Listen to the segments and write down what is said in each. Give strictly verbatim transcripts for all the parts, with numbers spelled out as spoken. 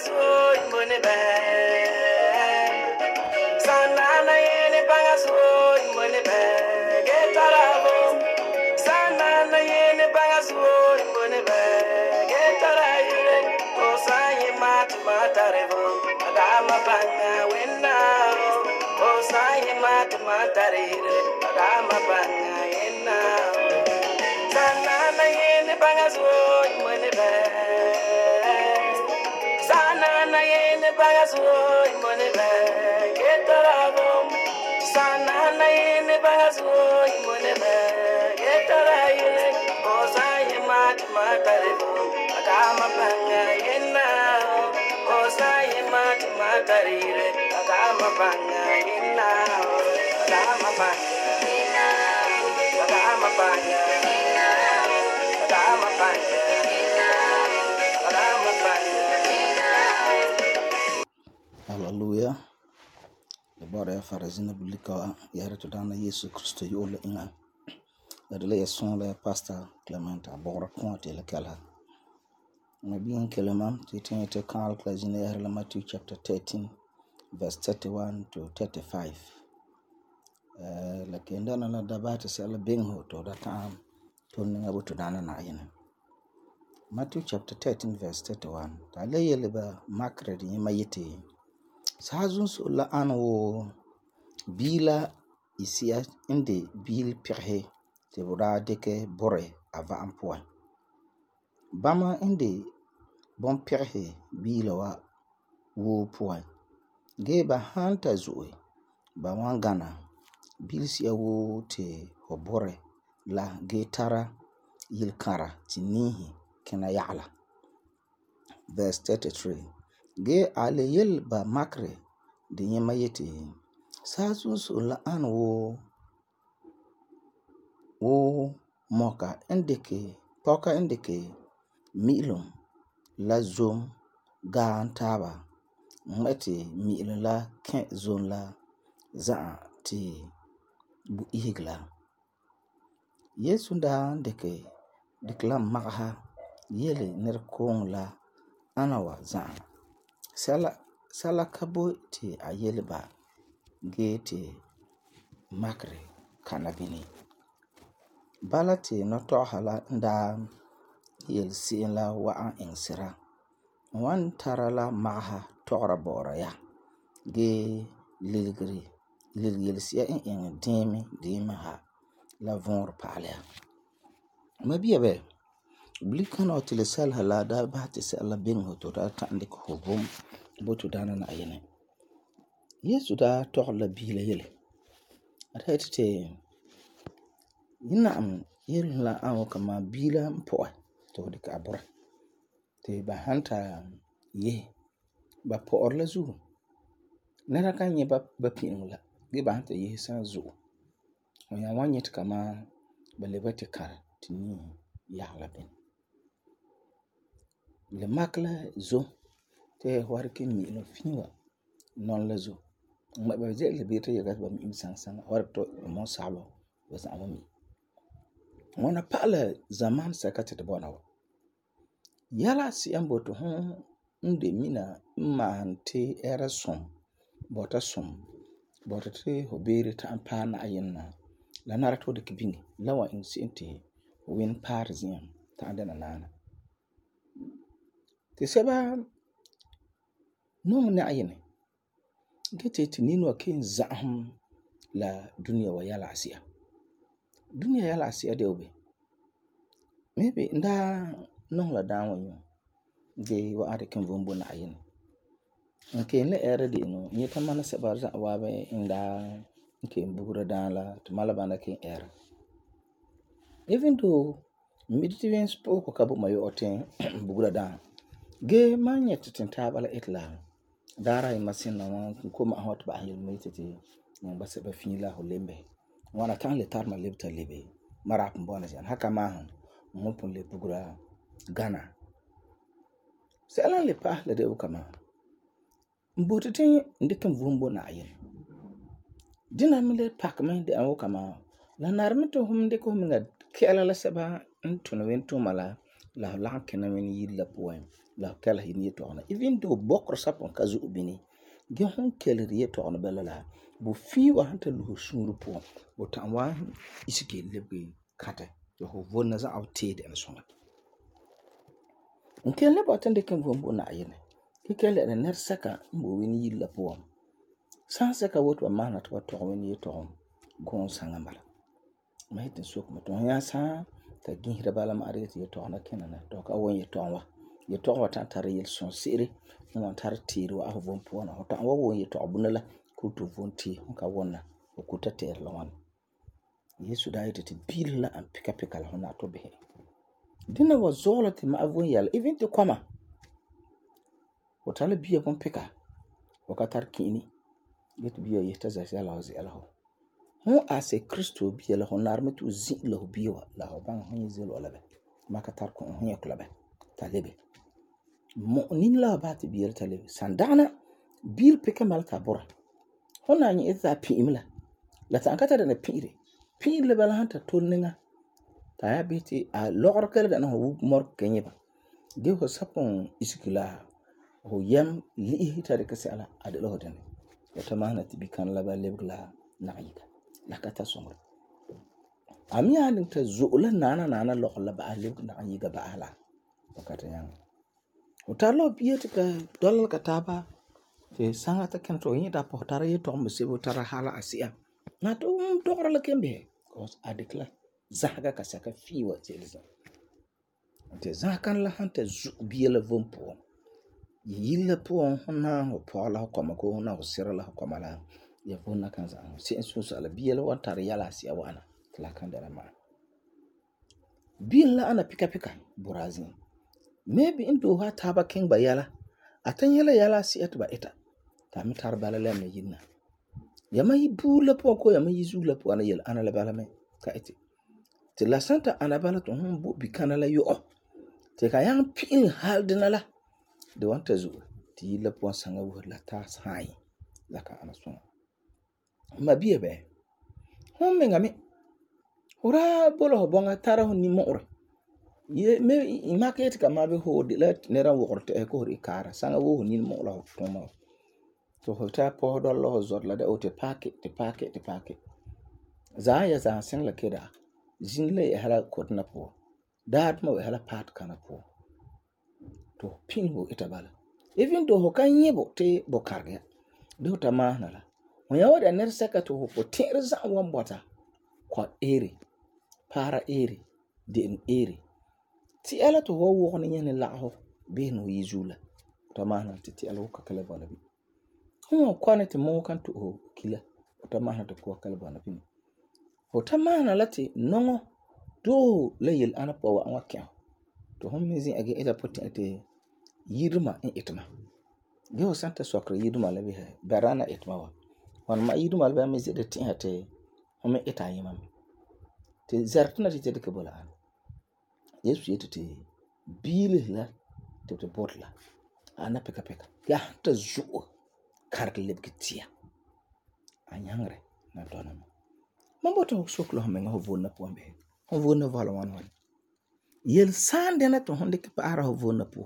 suoi mone bɛ. Sanana yene banga suoi mone bɛ. Getarabo. Sanana yene banga suoi mone bɛ. Getarayire. Osaye mat matarebo. Adama banga wenna. Osaye mat matarire. Adama banga yenna. Sanana yene banga suoi mone bɛ. Sanana yene banga suoi mone bɛ. Getarabo. Sanana yene banga suoi mone bɛ. Getarayire. Osaye mat matarebo. Adama banga yenna. Osaye mat matarire. Adama banga yenna. Adama banga yenna. Adama banga yenna. Adama banga yenna. Adama banga yenna. Hallelujah. Det bara jag fara zina bulika yare to dana Yesu Kristo yola inga. Det le son le pastor Clement abora konte le kala. Na bien keleman titin te kan kla zina yare la Matthew chapter thirteen verse thirty-one to thirty-five. Eh la kenda na la dabata sala benho to da tam to ninga buto dana na yene. Matthew chapter thirteen verse thirty-one. Ta le yele ba makre di mayete. Sazun so la anwo bila isia inde bil pirhe te bura deke bore ava ampoa. Bama inde bon pirhe bila wa wo poa. Ge ba hanta zoe ba wangana bil sia wo te hobore la ge tara yilkara tinihi kena ya'la. Verse thirty-three. Ge ale yel ba makre de yema yete sasu so la an wo wo moka indike poka indike milum la zom gaan taba ngati milum la ken zon la za ti bu ihigla. Yesu da ndeke diklam magaha yele ner kong la anawa za sala sala kabo ti ayele ba ge ti makre kana bini bala ti no to hala nda yel sin la wa'an insira wan tara la maha tora bora ya ge lilgri lilgel sia in in dimi dimi ha la von palya mabiya be blikana otile sal hala da ba ti sala bin hoto da tande ko hobum botu dana na ayene. Yesu da tohla bila yele. Atete yina am yele la awo kama bila mpoa to de ka abora. Te ba hanta ye ba poor la zu. Nara kan ye ba ba pin la. Ge ba hanta ye san zu. Onya wanyet kama ba lebati kar tini ya la bin. Le makla zo te warke mi lo finwa non la zo ma ba je le bete yaga ba mi sang sang war to mo salo wa sa mi wana pala zaman sakate de bona yala si ambo to hon nde mina ma ante era som bota som bota te hobere ta ampa na ayenna la nara to de kibingi lawa in sinte win parisian ta andana nana te seba no na ayene gete tinino kin zahum la dunia wa yala asia dunia yala asia de obe maybe nda no la dawo yo ge wa ade kan vombo na ayene nke le era de no nyeta mana seba za wa be inda nke mbura dan la to malaba na kin era even though mediterranean spoke ka bo mayo oten bugura dan ge manye titinta bala itla dara masin na wan ko ma hot ba hil metete mo ba se ba finila holembe wana kan le tarma lebta lebe mara mbona jan haka ma mo pon le bugura Ghana sela le pa le de kama mbotete ndikan vumbo na ayen dina mile pak men de awo kama la narmito hum de ko minga kela la seba ntuna wento mala la la kena men yiri la puan la kala hin yetɔgna even though bokor sapon ka zo bini ge hon kelir yetɔgna bala la bo fi wa han ta lu suru puan bo tan wa isike lebbe kata yo ho vonna za au te de songa on kelle ba tan de kan vom bo na yene ke kelle na ner saka mbo wen yiri la puan san saka woto ma na to to wen yetɔgna gon sanga mala ma hitin sok ma to ya sa ta ginhira bala ma arete yetɔgna kenana to ka won yetɔgna yetɔgna tan tare yel son sire on tar tiro a vom puan ho tan wa won yetɔgna bunala ko to von ti ka wonna o ko ta ter la wan Yesu da yete te bil la an pika pika la hona to be dina wa zola ti ma avon yal even te kwama o tala biya kon pika o ka tar kini get biya yeta za sala o zela ho ho ase Kristo biya la honar metu zi la ho biya la ho ban ho zi lo la be ma ka tar ko ho yakla be talebe mo nin la ba ti biya talebe sandana bil pika mal ta bora hona ni eza pi imla la ta kata da na pire pire le bala hanta tolninga ta ya biti a logor kala da na ho mor kenye ba de ho sapon iskila ho yam li hita de kase ala ade lo hodane wata mahna ti bikan la ba lebla na yika la kata somro ami anin ta zuula nana nana lo la ba lebla na yika ba ala wakata yang utalo biye tika dolal kataba te sanga ta kan to yin da po tara yi to mo se bo tara hala asia na to to la kembe cause adikla zaga ka saka fiwa telza te zakan la hanta zu biye la vompo yilla po hona ho pola ko ma ko na ho sira la ko mala ya vonna kan za se su sala biye la wan tara yala asia wana la kan da ma biye la ana pika pika burazin maybe indo ha taba king ba yala atan yala yala si etba eta ta mi tar bala la me yinna yama yi bula po ko yama yi zula po ana yala ana la bala me ka eti te la santa ana bala to hon bo bi kana la yo te ka yang pin hal dinala de wanta zu ti la po sanga wo la ta sai la ka ana so ma biye be hon me ngame ora bolo ho bonga tara hon ni mo ora ye me market ka ma be ho de la ne ran wo korte ko ri kara sanga wo ni mo la ko ma to ho ta po do lo zot la de o te packet te packet te packet za ya za sen la kida jin le hala ko na po dat mo hala pat kana po to pin ho itabala even do ho kan yebo te bo karga do ta ma na la mo ya wada ner saka to ho te za wan bota kwa ere para ere den ere ti ala to ho wo ne nyane la ho be no yizula tamana ti ti ala ko kala bana bi ho kwana ti mo kan to ho kila tamana to ko kala bana bi ho tamana lati nongo do layel ana po wa wakya to hon mizi age ila poti ate yirma in itma ge ho santa sokra yirma la bi ha barana itma wa wan ma yirma la ba mizi de ti ate ho me ita yima te zartuna ti te ke bola Yesu yete te bile la te te botla ana peka peka ya ta zuo kark lebkitia anyangre na dona mambo to soklo menga ho vonna pombe ho vonna vala wan wan yel sande na to honde ke para ho vonna po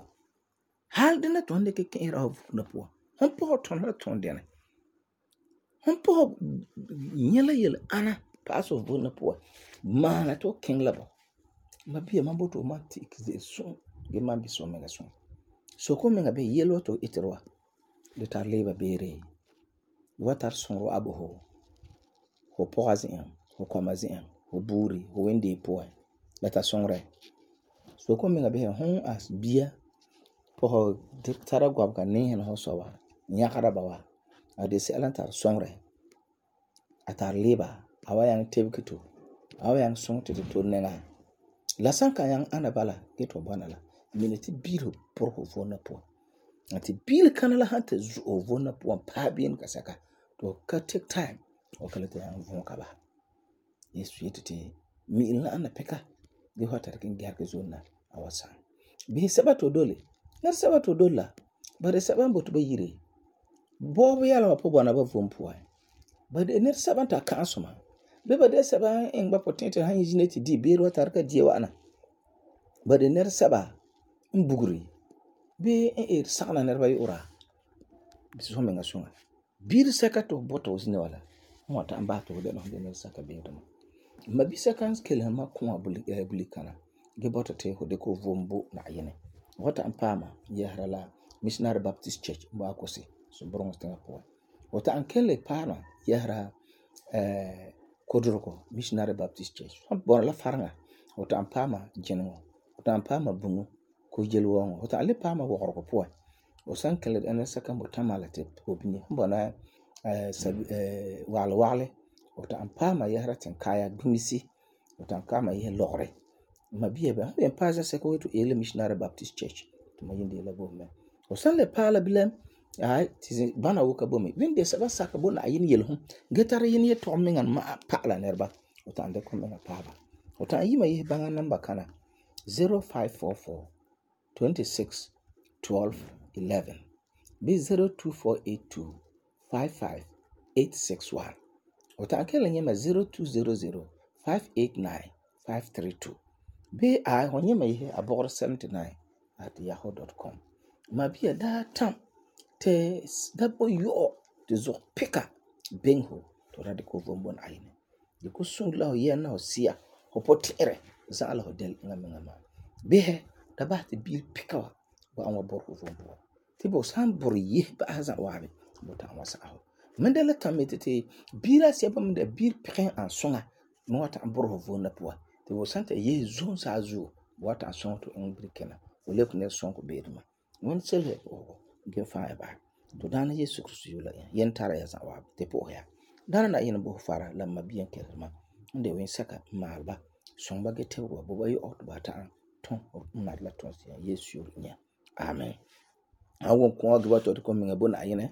hal de na to honde ke ke ra ho vonna po hon po to na to honde na hon po nyela yel ana paso vonna po mana to king labo ma bia mambo to matik ze so ge mambi so menga so so ko menga be yelo to itirwa de tar leba bere watar son ro abo ho ho poazin ho komazin ho buri ho wende po la ta son re so ko menga be hon as bia po ho de tara gwab ka ne ho so wa nyakara bawa ade se alantar son re atar leba awayang tebkito awayang son te to nenga la sanka yang ana bala geto banala miniti biro por ho vona po ati bil kanala hante zu o vona po pa bien kasaka to ka take time o kala te yang vona ka ba Yesu yete mi ina ana peka de hota kin garke zona awasa bi sabato dole na sabato dola bare sabambo to bayire bo yala po bona ba vompo ba de ner sabanta ka asoma be ba de saban en ba potente han yineti di biro tarka die wana ba de nɛresɛba n buguri bii n eri sagena nɛreba yu'ura so meŋa suŋa. Biiri sɛka ti fu bɔta fu zina wa la n wan ta'am basɛ ti fu dɛna fu de nɛresɛka beeduma. Mabisɛka n kelum ma kũa bulikana gee bɔta ti fu dikɛ fu vom bo Na'ayinɛ. Fu wan ta'am paama yɛsera la Missionary Baptist Church n bɔ'ɔ Kosi, Soborong tiŋa puan. Fu ta'am kelum le paama yɛsera eh, Kodorego Missionary Baptist Church. Fu bɔna la Fareŋa, fu ta'am paama Gineŋɔ, fu ta'am paama Buŋɔ, Kojelewɔŋɔ, fu ta'am le paama Wɔgerego puan. Fu san kelum dɛna nɛresɛka n boi tamale la ti fu bini fu bɔna eh, eh, wagelɛ wagelɛ, fu ta'am paama yɛsera Tinkaya Gbimisi, fu ta'am paama yɛsera Lɔgere. Mabia ba, fu yen paɛ zɛsɛka fu yeti fu eela Missionary Baptist Church ti ma yin de la bo mɛ. Fu san le paɛ la bilam, ai ti bana wo ka bo me. Vin de sɛba saka bo Na'ayinɛ yelesum gee tara yene yetɔgum miŋa ma'a pa'ala nɛreba. Fu ta'am dikɛ miŋa paaba. Fu ta'am yi ma yese baŋa namba kana zero five four four, two six, one two one one bii zero two four eight two, five five eight six one. Fu ta'am kelum nyɛ ma zero two zero zero, five eight nine, five three two bii ai hu nyɛ ma yese abɔgere seventy-nine at yahoo dot com. Mabia daa tam ti da bo yɔ'ɔ ti zugɔ pika biŋe fu ti fu da dikɛ fu vom bo Na'ayinɛ. Di ku sũuri la fu yɛm na fu si'a, fu puti'irɛ za'a la fu dɛla eŋa miŋa maa. Bisɛ da basɛ ti biiri pika wa ba'am wa bɔrɛ fu vom puan. Ti bu san bɔrɛ yese ba'asɛ za'a waabi, bu ta'am wa sa'a fu. Mam dela tam mi ti biiri asiɛba me de biiri pigɛ n ani suŋa me wan ta'am bɔrɛ fu vom la puan. Ti bu san ta yese zom saazuo, bu wan ta'am suŋɛ ti fu iŋɛ birikina. Fu lebege nɛresɔŋɔ beeduma. Ŋwɔni selesɛ pu'usigɔ gee faa ya baha. To Daana Yesu Kirista yue la yen tara ya za'a waabi ti pu'usi ya. Daana Na'ayinɛ bo fu fara la mabia n keleseri ma n de wensɛka n maale ba, suŋɛ ba gee tebege ba bo ba yɔ'ɔ ti ba ta'am tum n nari la tuunsi'a Yesu yore nyɛ. Amen. An wum kɔɔ gee ba to ko miŋa bo Na'ayinɛ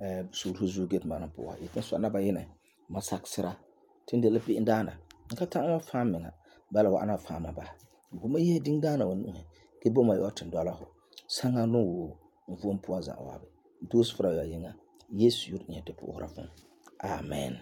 eh suuru zuo gee ma pu'usa. Yetun so na ba yinɛ ma sakisera tin de la be'em daana. N ka ta'am wa faam miŋa bala wa ana faama ba. Bo ma yese din daana wa nu'usi gee bo ma yɔ'ɔ tin dɔla fu. Saŋa no wo n vom puan za'a waabi. Doose fara ya yiŋa Yesu yore nyɛ ti pu'usera fum. Amen.